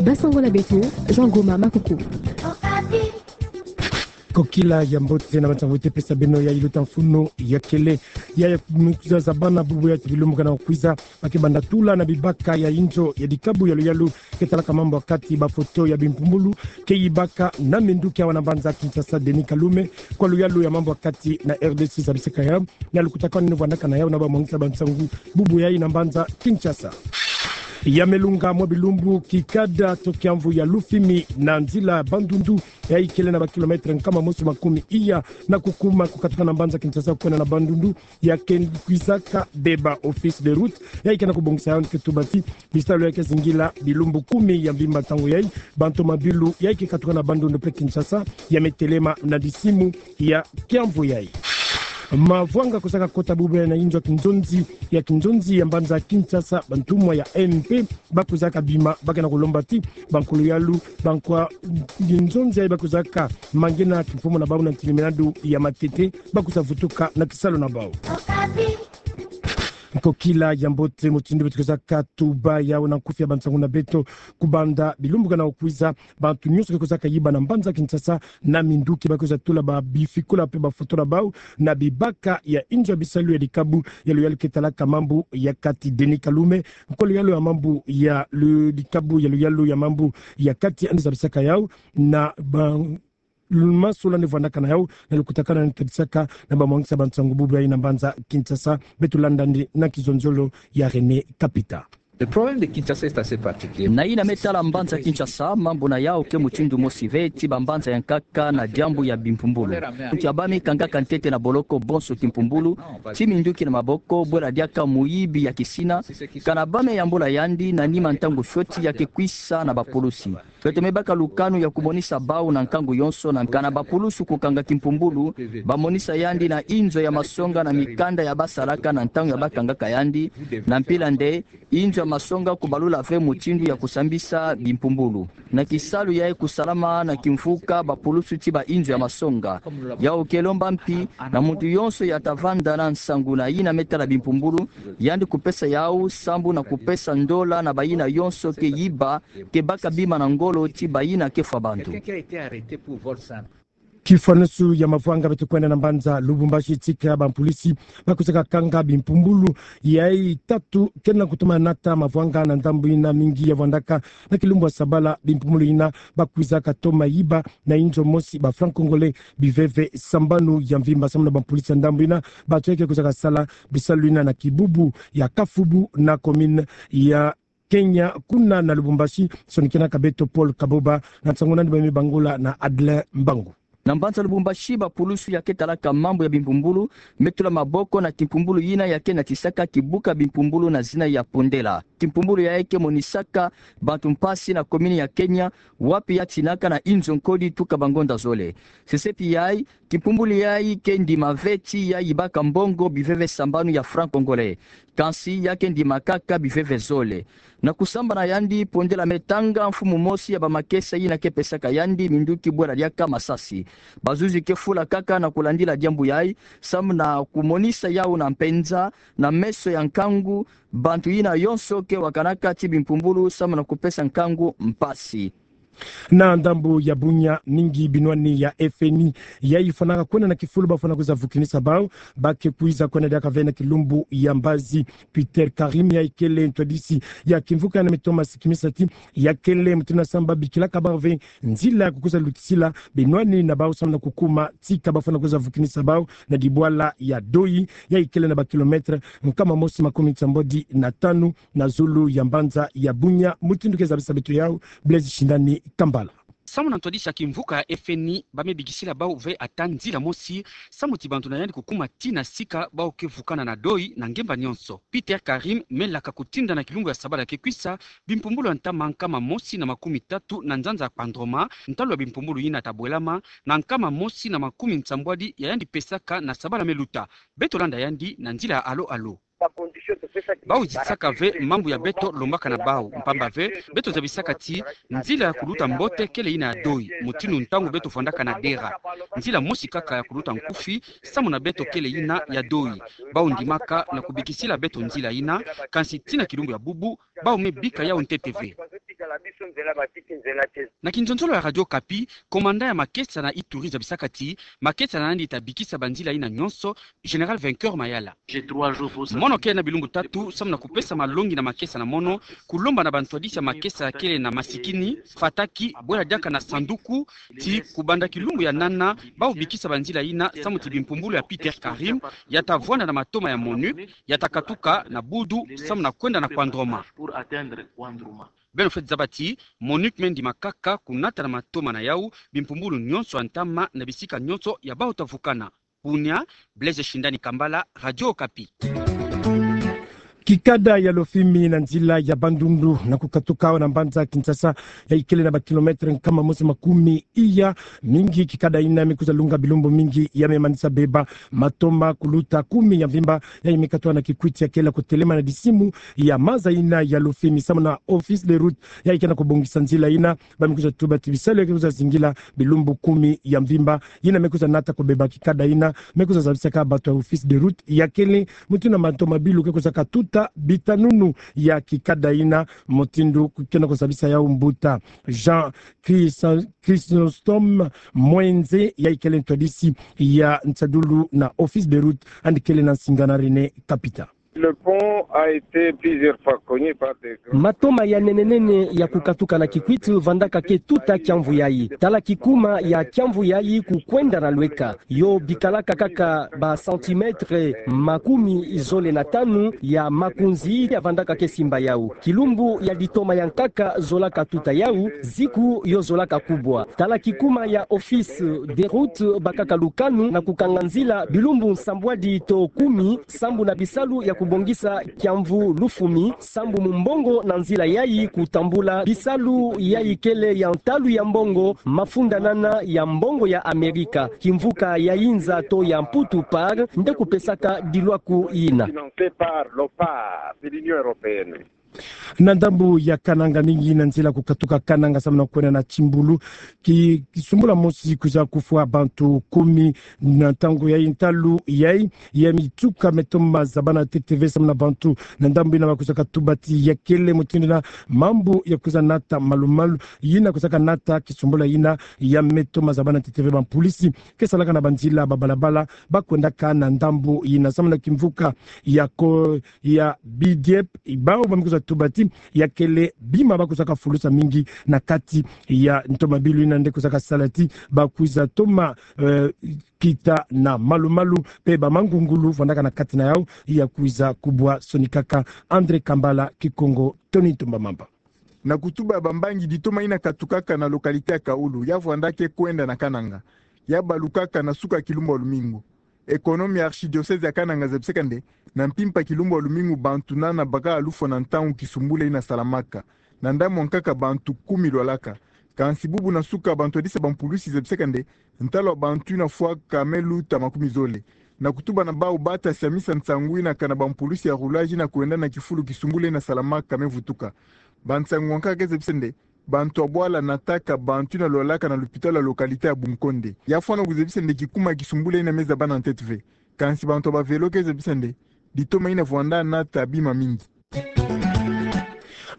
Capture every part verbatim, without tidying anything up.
Basango na beto, Jean Goma Makuku. Kokila ya mbote na bansango tupesa beno ya iluta mfunu ya kele. Ya, ya, mikuza za bana bubu ya ti bilumbu kana kwiza, ba ke banda tula na bibaka ya inzo ya dikabu ya luyalu ke talaka mambu ya kati, bafoto ya bimpumbulu ke yibaka na minduki awa na mbanza Kinshasa Denis Kalume, kwa luyalu ya mambu ya kati na R D C zabisaka ya na lukutakanu ni vwandaka na yau na bamwangisa bansango bubu yayi na mbanza Kinshasa. Ya melunga mwa bilumbu kikada to kiamvu ya Lufimi na nzila Bandundu, yayi kele na ba kilomètre nkama mosi makumi iya na kukuma kukatuka na mbanza Kinshasa kwenda na Bandundu, ya ke kwizaka beba office de route, yayi ke na kubongisa yau ni ke tuba ti bisalu ya ke zingila bilumbu kumi ya mvimba ntangu yayi, ba ntomabilu yayi ke katuka na Bandundu pe Kinshasa ya me telema na disimu ya kiamvu yayi. Mavwanga kusaka kota bubu yayi na inzo ya kinzonzi, ya kinzonzi ya mbanza Kinshasa, bantumwa ya M P ba kwizaka bima, ba ke na kulomba ti bankulu yalu, bankwa kinzonzi yayi ba kwizaka mangena kimfumu na bau na ntilimenadu ya matete, ba kwiza vutuka na kisalu na bau. Kokila ya mbote, mutindu beto kwizaka tuba yau na nkufi ya bansango na beto, kubanda bilumbu kana kwiza, bantu nyonso ke kwizaka yiba na mbanza Kinshasa na minduki ba kwiza tula ba bifikula pe bafoto na bau na bibaka ya inzo ya bisalu ya dikabu ya luyalu ke talaka mambu ya kati. Denis Kalume, nkwa luyalu ya mambu ya lu-, dikabu ya luyalu ya mambu ya kati, yandi zabisaka yau na ba lumasola ni vwandaka na yau na lukutakanu ni tadisaka na bamwangisa bansango bubu yayi na mbanza Kinshasa. Beto landa yandi na kizonzolo ya René Kapita. Le problème de Kinshasa est assez particulier. Na yina me tala mbanza Kinshasa, mambu na yau ke mutindu mosi ve ti bambanza ya nkaka na diambu ya bimpumbulu. Muntu ya ba mi kangaka ntete na boloko bonso kimpumbulu, ti minduki na maboko, bwela diaka muyibi ya kisina, kana ba me yambula yandi na nima ntangu fioti ya ke kwisa na bapulusi. Beto me baka lukanu ya kumonisa bau na nkangu yonso na kana bapulusu kukanga kimpumbulu, ba monisa yandi na inzo ya masonga na mikanda ya ba salaka na ntangu ya ba kangaka yandi, na mpila nde inzo ya masonga kubalula ve mutindu ya kusambisa bimpumbulu. Na kisalu yayi kusalama na kimvuka bapulusu ti ba inzo ya masonga. Yau ke lomba mpi na muntu yonso ya ta vanda na nsangu na yina me tala bimpumbulu, yandi kupesa yau sambu na kupesa ndola na bayina yonso ke yiba, ke baka bima na ngolo ti bayina ke fwa bantu. Kifwanusu ya mavwanga, beto kwenda na mbanza Lubumbashi, tika bampulisi ba kwizaka kanga bimpumbulu yayi tatu ke na kutuma nata mavwanga na ndambu yina mingi ya vwandaka na kilumbu ya sabala. Bimpumbulu yina ba kwizaka toma yiba na inzo mosi ba francs congolais biveve sambanu ya mvimba. Samu na bampulisi ya ndambu yina, bantu yayi ke kwizaka sala bisalu yina na kibubu ya Kafubu na commune ya Kenya, kuna na Lubumbashi. Sonikenaka beto Paul Kaboba na nsangu nandi ba me bangula na Adelin Mbangu. Na mbanza Lubumbashi, bapulusu ya ke talaka mambu ya bimpumbulu me tula maboko na kimpumbulu yina ya ke natisaka kibuka bimpumbulu na zina ya Pondela. Kimpumbulu yayi ke monisaka bantu mpasi na commune ya Kenya, wapi ya tinaka na inzo nkodi tuka bangonda zole. Sesepi yayi, kimpumbulu yayi ke ndima ve ti ya yibaka mbongo biveve sambanu ya francs congolais. Kansi ya ke ndima kaka biveve zole. Na kusambana yandi, Pondela me tanga mfumu mosi ya bamakesa yina ke pesaka yandi minduki bwela diaka masasi. Bazuzi ke fula kaka na kulandila diambu yayi, samu na kumonisa yau na mpenza, na meso ya nkangu, bantu yina yonso ke wakanaka ti bimpumbulu samu na kupesa nkangu mpasi. Na ndambu ya Bunia, mingi binwani ya F N I yayi fwanaka kwenda na kifulu ba fwana kwiza vukinisa bau, ba ke kwiza kwenda diaka ve na kilumbu ya mbazi. Peter Karim yayi kele ntwadisi ya kimvuka yina me toma sikimisa ti ya kele mutindu na samba bikilaka bau ve nzila ya kukwiza lutisila binwani na bau samu na kukuma tika ba fwana kwiza vukinisa bau na dibwala ya Doi, yayi kele na ba kilomètre nkama mosi makumi nsambwadi na tanu na zulu ya mbanza ya Bunia. Mutindu ke zabisa beto yau, Blaise Shindani Kambala. Samu na ntwadisi ya kimvuka ya F N I, ba me bikisila bau ve ata nzila mosi, samu ti bantu na yandi kukuma tii na sika, bau ke vukana na Doi na ngemba nyonso. Peter Karim me laka kutinda na kilumbu ya sabala ke kwisa bimpumbulu ya ntama nkama mosi na makumi tatu na nzanza ya Kpandroma, ntalu ya bimpumbulu yina ta bwelama na nkama mosi na makumi nsambwadi ya yandi pesaka na sabala me luta. Beto landa yandi na nzila ya Alo Alo. Bau zitisaka ve mambu ya beto lombaka na bau, mpamba ve beto zabisaka ti nzila ya kuluta mbote kele yina ya doi, mutindu ntangu beto vwandaka na dera. Nzila mosi kaka ya kuluta nkufi, samu na beto kele yina ya doi. Bau ndimaka na kubikisila beto nzila yina, kansi tii na kilumbu ya bubu, bau me bika yau ntete ve. Na kinzonzolo ya Radio Okapi, komanda ya makesa na Ituri zabisaka ti makesa na yandi ta bikisa banzila yina nyonso, Général Vainqueur Mayala. Mono kele na bilumbu tatu samu na kupesa malongi na makesa na mono, kulomba na bantwadisi ya makesa kele na masikini, fataki, bwela diaka na sanduku, ti kubanda kilumbu ya nana, bau bikisa banzila yina samu ti bimpumbulu ya Peter Karim ya ta vwanda na matoma ya MONUC ya ta katuka na Budu samu na kwenda na Kouandrouma. Beno fweti zaba ti MONUC me ndima kaka kunata na matoma na yau bimpumbulu nyonso ya ntama na bisika nyonso ya bau ta vukana. Bunia, Blaise Shindani Kambala, Radio Okapi. Kikada ya Lofimi na nzila ya Bandundu na kukatuka awa na mbanza Kinshasa, yayi kele na ba kilomètre nkama mosi makumi iya mingi. Kikada yina me kwiza lunga bilumbu mingi, ya me manisa beba matoma kuluta kumi ya mvimba, yayi me katuka na Kikwit, ya kele kutelema na disimu ya maza yina ya Lofimi samu na Office des Routes yayi ke na kubongisa nzila yina. Ba me kwiza tuba ti bisalu ya ke kwiza zingila bilumbu kumi ya mvimba, yina me kwiza nata kubeba kikada yina, me kwiza zabisaka bantu ya Office des Routes ya kele mutindu na matomabilu ke kwiza katuta bitanunu ya kikada yina, mutindu ke na kuzabisa yau mbuta Jean Chrysa-, Chrysostome Mwenze, yayi kele ntwadisi ya nsadulu na Office des Routes, yandi kele na nsinga na René Kapita. Le pont a été plusieurs fois cogné par des grands... Matoma ya nene nene ya kukatuka na Kikwit vandaka ke tuta kiamvu yayi. Tala kikuma ya kiamvu yayi kukwenda na lweka. Yo bikalaka kaka ba centimètre makumi zole na tanu ya makunzi ya vandaka ke simba yau. Kilumbu ya litoma ya nkaka zolaka tuta yau, ziku yo zolaka kubwa. Tala kikuma ya Office des Routes, bakaka lukanu na kukanga nzila bilumbu nsambwadi to kumi, sambu na bisalu ya kubongisa kiamvu Lufumi, sambu mu mbongo na nzila yayi kutambula bisalu yayi kele ya ntalu ya mbongo, mafundanana ya mbongo ya Amerika, kimvuka ya inza to ya Mputu Par nde kupesaka dilwaku yina. Financé par l'OPAR de l'Union européenne. Na ndambu ya Kananga, mingi na nzila kukatuka Kananga samu na kwenda na Kimbulu, ki, kisumbula mosi kwiza kufwa bantu kumi na ntangu yayi. Ntalu yayi ya mituka me toma zabana ntete ve samu na bantu na ndambu yina, ba kwizaka tuba ti ya kele mutindu na mambu ya kwiza nata malu-malu yina kwizaka nata kisumbula yina ya me toma zabana ntete ve. Bampulisi ke salaka na banzila, babalabala, ba kwendaka na ndambu yina samu na kimvuka ya ko ya B D F, bau ba me kwiza tuba ti ya kele bima ba kwizaka fulusa mingi na kati ya ntomabilu yina nde kwizaka sala ti ba kwiza toma, eh, kita na malu-malu, mpe bamangungulu vandaka na kati na yau ya kwiza kubwa sonikaka. André Kambala, Kikongo, Tony Ntumba Mamba. Na kutuba bambangi, ditoma yina katukaka na localité ya Kaulu, ya vwanda ke kwenda na Kananga, ya balukaka na suka kilumbu ya lumingu. Ekonome ya archidiocèse ya Kananga zabisaka nde, na mpimpa kilumbu ya lumingu, bantu nana baka lufwa na ntangu kisumbula yina salamaka. Na ndambu ya nkaka, bantu kumi lwalaka. Kansi bubu na suka, bantwadisi ya bampulisi zabisaka nde, ntalu ya bantu yina fwaka me luta makumi zole. Na kutuba na bau, bata siamisa nsangu yina kana bampulisi ya roulage yina kwenda na kifulu kisumbula yina salamaka me vutuka. Bansangu ya nkaka ke zabisa nde, bantu ya bwala nataka bantu yina lwalaka na lupitalu ya localité ya Bunkonde. Ya fwana kuzabisa nde kikuma kisumbula yina me zabana ntete ve. Kansi bantu ya bavelo ke zabisa nde, ditoma yina vwanda nata bima mingi.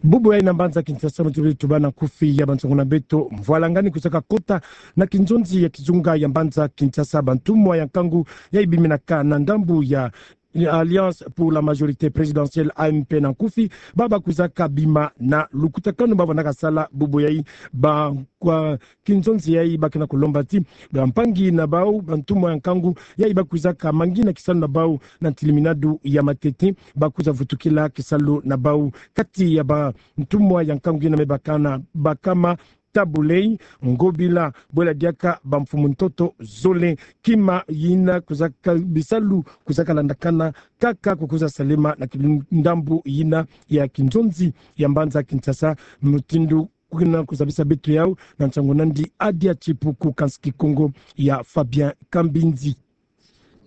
Bubu yayi na mbanza Kinshasa, muti beri tuba na nkufi ya bansangu na beto. Mvwalangani kwizaka kota na kinzonzi ya kizunga ya mbanza Kinshasa, bantumwa ya nkangu yayi biminaka na ndambu ya Alliance pour la majorité présidentielle, A M P na nkufi, baba kwizaka bima na lukutakanu ba vandaka sala bubu yayi. Ba kwa kinzonzi yayi ba ke na kulomba ti bampangi na bau, bantumwa ya nkangu yayi ba kwizaka mangina kisalu na bau na ntiliminadu ya matete, ba kwiza vutukila kisalu na bau. Kati ya bantumwa ya nkangu yina me bakana, bakama Tabu Ley, Ngobila, bwela diaka bamfumu ntoto zole, kima yina kwizaka, bisalu kwizaka landakana kaka ku kwiza salema na ki-, ndambu yina ya kinzonzi ya mbanza Kinshasa, mutindu kuna kuzabisa beto yau na nsangu nandi Adia Chipuku, kansi Kikongo ya Fabien Kambinzi.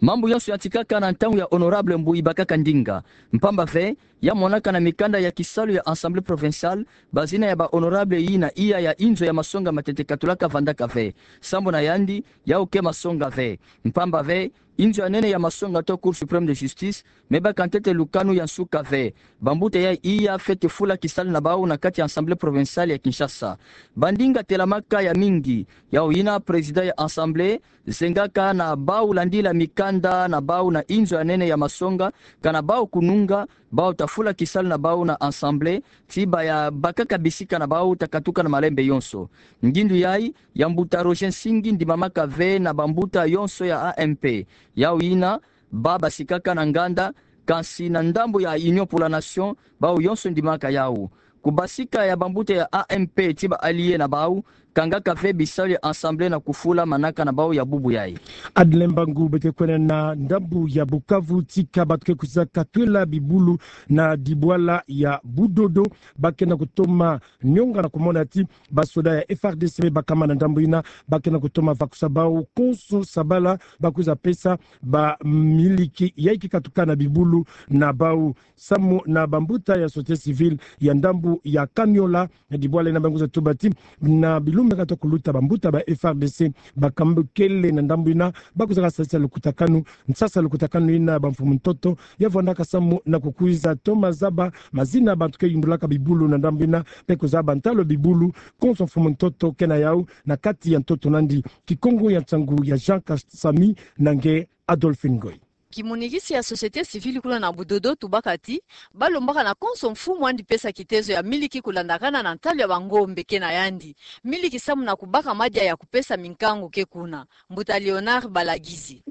Mambu yonso yantikaka na ntangu ya honorable mbu ibakaka ndinga. Mpamba ve, ya monaka na mikanda ya kisalu ya Assemblée provinciale, bazina ya ba honorable yina iya ya inzo ya masonga matete katulaka vandaka ve. Sambu na yandi, yau ke masonga ve. Mpamba ve, inzo ya nene ya masonga to Cour suprême de justice, me baka ntete lukanu ya nsuka ve. Bambuta ya iya fwete fula kisalu na bau na kati ya Assemblée provinciale ya Kinshasa. Bandinga telamaka ya mingi, yau yina président ya Assemblée, zengaka na bau landila mikanda na bau na inzo ya nene ya masonga, kana bau kununga, bau ta fula kisalu na bau na Assemblée, ti baya bakaka bisika na bau ta katuka na malembe yonso. Ngindu yai, ya mbuta Roger Nsingi ndimamaka ve na bambuta yonso ya A M P. Yau yina, ba basikaka na nganda, kansi na ndambu ya Union pour la Nation, bau yonso ndimaka yau. Kubasika ya bambuta ya A M P ti ba alliés na bau, kangaka ve bisalu ya Assemblée na kufula manaka na bau ya bubu yai. Adeline Mbangu beto kwenda na ndambu ya Bukavu, tika bato ke kwiza katwela bibulu na dibwala ya Budodo, ba ke na kutoma nionga na kumona ti basoda ya F R D C me bakama na ndambu yina, ba ke na kutoma vakusa bau konso sabala, ba kwiza pesa bamiliki yai ke katuka na bibulu na bau. Samu na bambuta ya société civile ya ndambu ya Kaniola, na dibwala yina ba kwiza tuba ti, na bilumbu ke kata kuluta bambuta ba F R D C, bakambukele na ndambu yina, ba kwiza kasalisa lukutakanu, nsasa lukutakanu yina bamfumu ntoto, ya vwandaka samu na kukwiza toma zaba mazina bato ke yumbulaka bibulu na ndambu yina, pe kuzaba ntalo bibulu, konso mfumu ntoto ke na yau, na kati ya ntoto nandi. Kikongo ya nsangu ya Jean Kasami na nge Adolphine Ngoy. Kimunikisi ya société civile kuna na Budodo tubaka ti, balombaka na konso mfumu andi pesa kitezo ya miliki kulandakana na ntalo ya bangombe ke na yandi. Miliki samu na kubaka madia ya kupesa minkangu ke kuna. Mbuta Léonard Balagizi.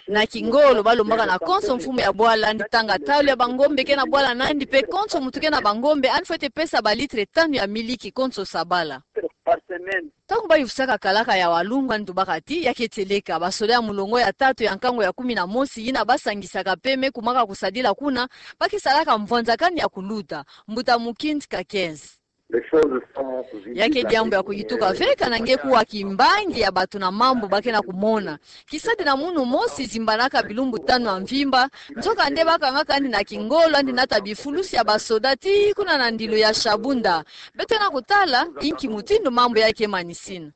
Na kingolo balombaka na konso mfumu ya bwala andi tanga ntalo ya bangombe ke na bwala nandi pe konso muntu ke na bangombe andi fwete pesa balitre tanu ya miliki konso sabala. Ntangu bayufusaka kalaka ya walungu andi tubaka ti, ya ke tieleka, basoda ya mulongo ya tatu ya nkangu ya kumi na mosi yina basangisaka pe me kumaka kusadila kuna, ba ke salaka mvwanzakani ya kuluta. Mbuta Mukindi Kakenzi. Ya ke diambu ya kuyituka ve kana nge kuwa kimbangi ya bato na mambu ba ke na kumona. Kisadi na munu mosi zimbanaka bilumbu tanu ya mvimba, nzoka nde bakangaka andi na kingolo andi nata bifulusi ya basoda ti kuna na ndilu ya Shabunda. Beto na kutala, inki mutindu mambu ya ke manisina.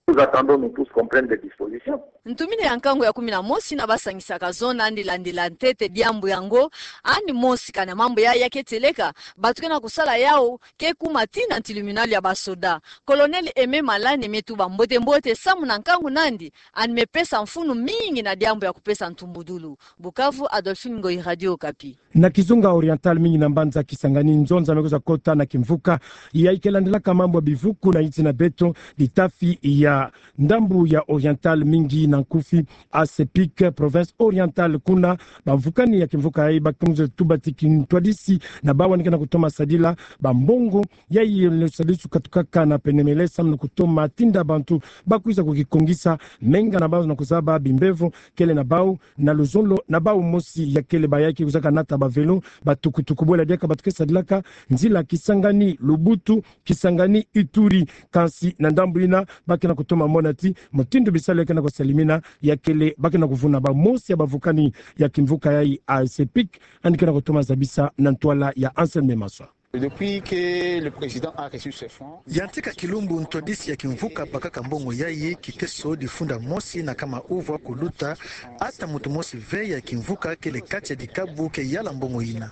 Ntumini ya nkangu ya kumi na mosi na basangisaka zona andi landila ntete diambu yango, andi mosi kana mambu ya ya ke tieleka, bato ke na kusala yau, ke kuma tii na tribunal ya basoda. Colonel Aimé Malane me tuba mbote mbote samu na nkangu nandi, andi me pesa mfunu mingi na diambu ya kupesa ntumbudulu. Bukavu, Adolphine Ngoyi, Radio Okapi. Na kizunga Oriental, mingi na mbanza Kisangani, nzonza me kwiza kota na kimvuka yai ke landilaka mambu ya bivuku na insi na beto, litafi ya ndambu ya Oriental, mingi na nkufi ASEPIC, province orientale, kuna bamvukani ya kimvuka yai ba ke kwiza tuba ti kintwadisi na bau andi ke na kutoma sadila bambongo yai, lusadisu katukaka na penemele samu na kutoma tinda bantu ba kwiza kukikongisa menga na bau na kuzaba bimbevo kele na bau, na luzolo na bau mosi ya kele ba yai ke kwizaka nata ba vélo, ba tukutuku, bwela diaka bato ke sadilaka nzila Kisangani Lubutu, Kisangani Ituri. Kansi na ndambu yina ba ke na kutoma mona ti mutindu bisalu ya ke na kusalimina ya kele, ba ke na kuvuna. Bamosi ya bamvukani ya kimvuka yai ASEPIC andi ke na kutoma zabisa na ntwala ya Anselme Maswa. Depuis que le président a reçu ce fonds, yantika kilumbu ntwadisi ya kimvuka bakaka mbongo yai, kiteso difunda mosi na kama uvwa kuluta ata muntu mosi ve ya kimvuka kele kati ya dikabu ke yala mbongo yina.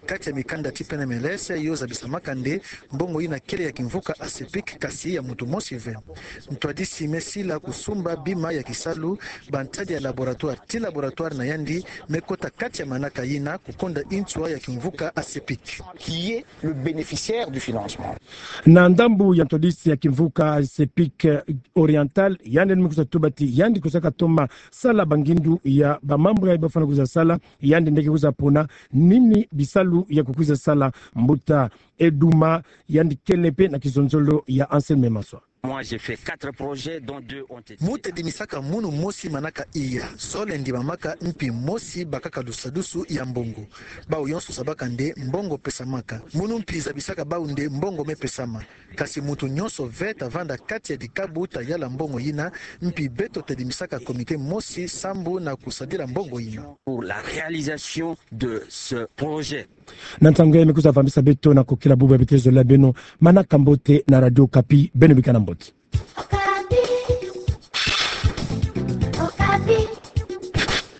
Kati ya mikanda ti penemele yo zabisamaka nde mbongo yina kele ya kimvuka ASEPIC, kasi ya muntu mosi ve. Ntwadisi me sila kusumba bima ya kisalu, bantadi ya laboratoire ti laboratoire na yandi me kota kati ya manaka yina kukonda nswa ya kimvuka ASEPIC. Qui est le bénéficiaire du financement. Na ndambu ya ntwadisi ya kimvuka ASEPIC Oriental, yandi me kwiza tuba ti yandi kwizaka toma sala bangindu ya bamambu yai ba fwana kwiza sala, yandi nde ke kwiza pona nini bisalu ya kukwiza sala. Mbuta Eduma, yandi kele pe na kizonzolo ya Anselme Maswa. Moi, j'ai fait quatre projets, dont deux ont été. Mu tedimisaka munu mosi manaka iya, sole ndimamaka, mpi mosi bakaka dusadusu ya mbongo. Bau yonso sabaka nde mbongo pesamaka. Munu mpi zabisaka bau nde mbongo mepesama. Kasi muntu nyonso ve ta vanda kati ya dikabu ta yala mbongo yina, mpi beto tedimisaka comité mosi sambu na kusadila mbongo yina. Pour la réalisation de ce projet. Na ntangu ya me kwiza vambisa beto na kokila bubu ya bitezo la beno, manaka mbote na Radio Okapi, beno bika na mbote.